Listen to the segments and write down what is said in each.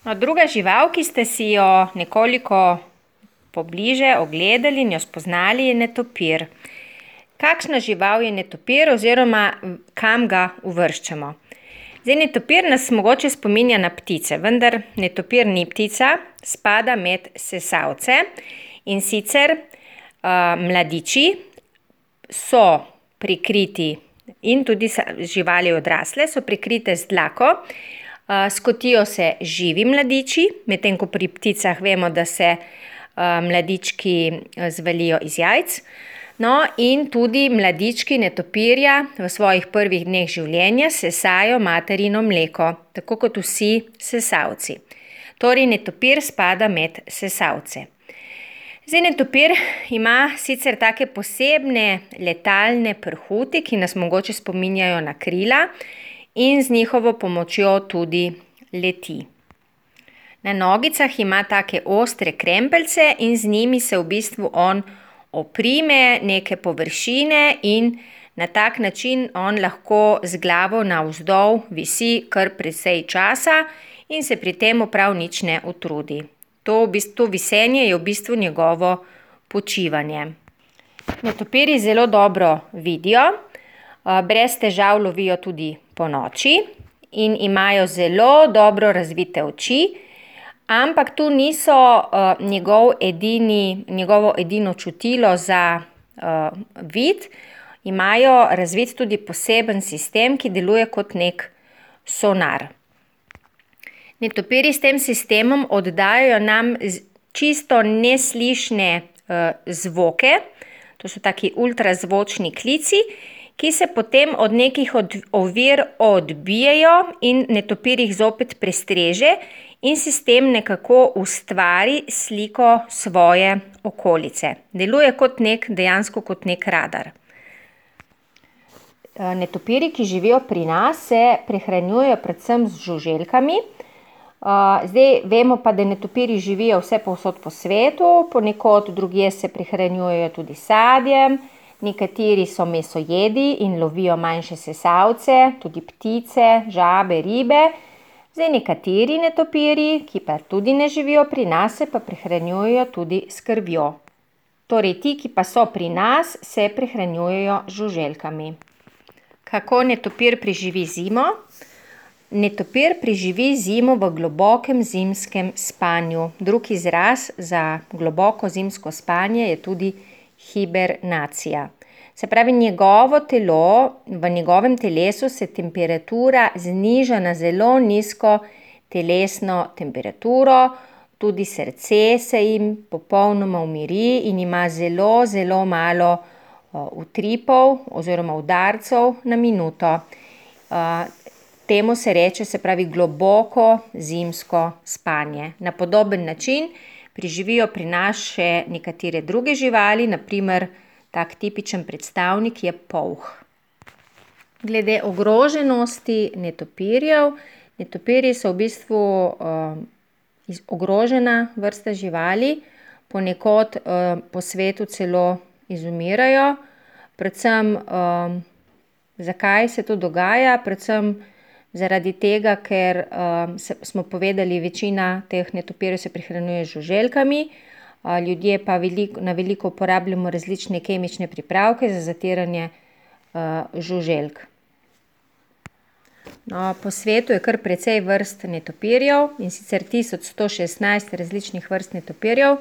No, druga žival, ki ste si jo nekoliko pobliže ogledali in jo spoznali, je netopir. Kakšna žival je netopir oziroma kam ga uvrščamo? Zdaj, netopir nas mogoče spominja na ptice, vendar netopir ni ptica, spada med sesalce. In sicer mladiči so prikriti in tudi živali odrasle so prikrite z dlako. Skotijo se živi mladiči, medtem ko pri pticah vemo, da se mladički zvalijo iz jajc. No, in tudi mladički netopirja v svojih prvih dneh življenja sesajo materino mleko, tako kot vsi sesalci. Torej, netopir spada med sesalce. Zdaj, netopir ima sicer take posebne letalne prhuti, ki nas mogoče spominjajo na krila in z njihovo pomočjo tudi leti. Na nogicah ima take ostre krempeljce in z njimi se v bistvu on oprime neke površine in na tak način on lahko z glavo navzdol visi kar precej časa in se pri tem prav nič ne utrudi. To visenje je v bistvu njegovo počivanje. Netopirji zelo dobro vidijo, brez težav lovijo tudi ponoči in imajo zelo dobro razvite oči, ampak tu niso njegovo edino čutilo za vid, imajo razvit tudi poseben sistem, ki deluje kot nek sonar. Netopirji s tem sistemom oddajajo nam čisto neslišne zvoke, to so taki ultrazvočni klici, ki se potem od nekih ovir odbijejo in netopir jih zopet prestreže in sistem nekako ustvari sliko svoje okolice. Deluje dejansko kot nek radar. Netopirji, ki živijo pri nas, se prehranjujejo predvsem z žuželkami. Zdaj vemo pa, da netopirji živijo vsepovsod po svetu, ponekod drugje se prehranjujejo tudi sadjem, nekateri so mesojedi in lovijo manjše sesalce, tudi ptice, žabe, ribe. Zdaj, nekateri netopirji, ki pa tudi ne živijo pri nas, se pa prehranjujejo tudi s krvjo. Torej, ti, ki pa so pri nas, se prehranjujejo z žuželkami. Kako netopir preživi zimo? Netopir preživi zimo v globokem zimskem spanju. Drug izraz za globoko zimsko spanje je tudi hibernacija. Se pravi, v njegovem telesu se temperatura zniža na zelo nizko telesno temperaturo, tudi srce se jim popolnoma umiri in ima zelo, zelo malo utripov oziroma udarcev na minuto. Temu se reče, se pravi, globoko zimsko spanje. Na podoben način preživijo pri nas še nekatere druge živali, na primer tak tipičen predstavnik je polh. Glede ogroženosti netopirjev. Netopirji so v bistvu ogrožena vrsta živali, ponekod po svetu celo izumirajo. Predvsem, zakaj se to dogaja? Predvsem zaradi tega, ker smo povedali, večina teh netopirjev se prehranjuje z žuželkami, ljudje pa na veliko uporabljamo različne kemične pripravke za zatiranje žuželk. No, po svetu je kar precej vrst netopirjev, in sicer 1116 različnih vrst netopirjev,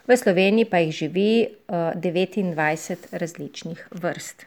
v Sloveniji pa jih živi 29 različnih vrst.